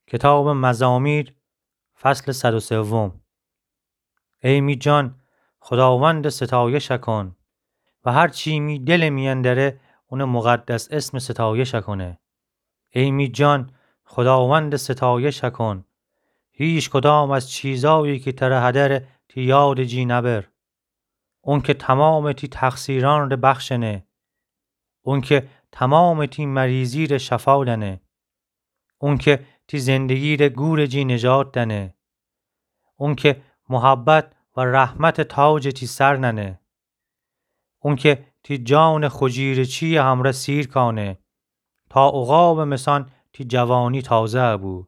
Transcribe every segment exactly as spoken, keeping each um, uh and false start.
کتابٚ مزامیر، فصلٚ صد و سوم. ای می جان، خوداوندٚ ستایش کن و هر چی می دلٚ میأن دأره، اونٚ مقدس اسمٚ ستایش کنه. ای می جان، خوداوندٚ ستایش کن. هیچ کدام از چیزایی کی تره هدره تی یادٚ جی نبر. اون که تمامٚ تی تقصیرأن ره بخشنه. اون که تمامٚ تی مریضی ره شفا دأنه. اون که تی زندگی ره گورٚ جی نجات دأنه. اون که محبت و رحمتٚ تاجٚ تی سر نأنه. اون که تی جانٚ خوجیرٚچییٚ همرأ سیر کأنه، تا عقابٚ مسان تی جوانی تازه بو.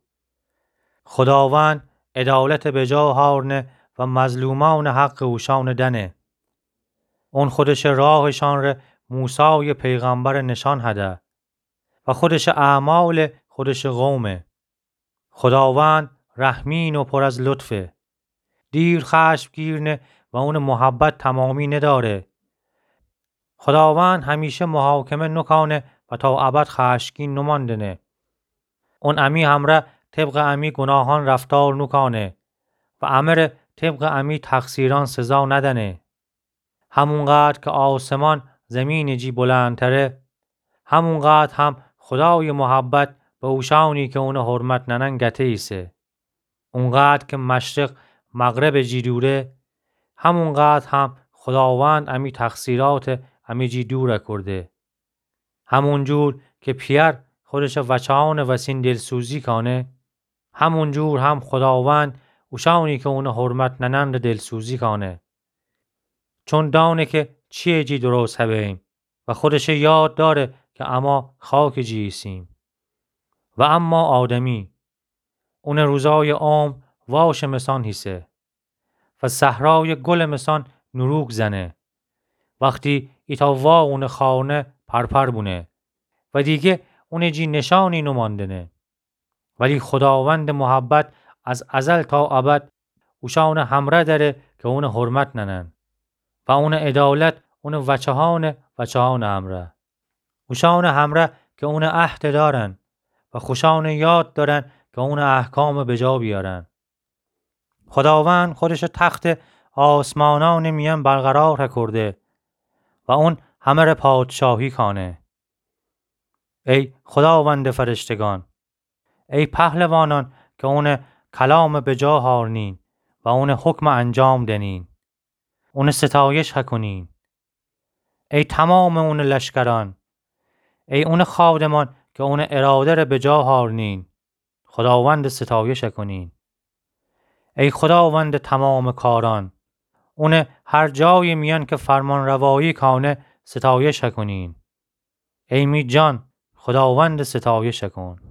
خوداوند عدالت بجا هأرنه و مظلومأنٚ حقٚ اوشأن دأنه. اون خودشٚ راهٚشأن ره موسایٚ پیغمبر نشأن هده و خودشٚ اعمال خودشٚ قومه. خوداوند رحمین و پر از لطفه. دیر خشم گیرنه و اونٚ محبت تمامی ندأره. خوداوند همیشه محاکمه نوکأنه و تا ابد خشمگین نومأندنه. اون امی همرأ طبقٚ امی گوناهأن رفتار نوکأنه و امره طبقٚ امی تقصیرأن سزا ندأنه. همونقدر که آسمان زمینٚ جی بلندتره، همونقدر هم خودایٚ محبت به اوشأنی که اونٚ حرمت نأنن گته ایسه. اونقدر که مشرق مغربٚ جی دوره، همونقدر هم خوداوند امی تقصیرأت امی جی دور کورده. همونجور که پیأر خودشٚ وچهأنٚ وسین دلسوزی کأنه، همونجور هم خوداوند اوشأنی که اونٚ حرمت نأنن ره دلسوزی کأنه. چون دأنه که چییٚ جی درست هبه‌ییم و خودشٚ یاد دأره که اما خاکٚ جی ایسیم. و اما آدمی، اونٚ روزایٚ عمر واشٚ مسان هیسه و صحرایٚ گلٚ مسان نوروک زنه. وختی ایتأ وا اونٚ خانه پرپر بونه و دیگه اونٚ جی نشأنی نومأندنه. ولی خوداوندٚ محبت از ازل تا ابد اوشأنٚ همرأ دأره که اونٚ حرمت نأنن و اونٚ عدالت اونٚ وچهأنٚ وچهأنٚ همرأ. اوشأنٚ همرأ که اونٚ عهد دأرن و خوشأنٚ یاد دأرن که اونٚ احکام بجا بیأرن. خوداوند خودشٚ تختٚ آسمانأنٚ میأن برقرار کورده و اون همره پادشاهی کأنه. ای خوداوندٚ فرشتگان، ای پهلوانأن که اونٚ کلام بجا هأرنین و اونٚ حکم انجام دنین، اونٚ ستایش هکونین. ای تمامٚ اونٚ لشکرأن، ای اونٚ خادمأن که اونٚ اراده ره بجا هأرنین، خوداوندٚ ستایش هکونین. ای خوداوندٚ تمامٚ کارأن، اونٚ هر جایٚ میأن که فرمانروایی کأنه ستایش هکونین. ای می جان، خوداوندٚ ستایش کن.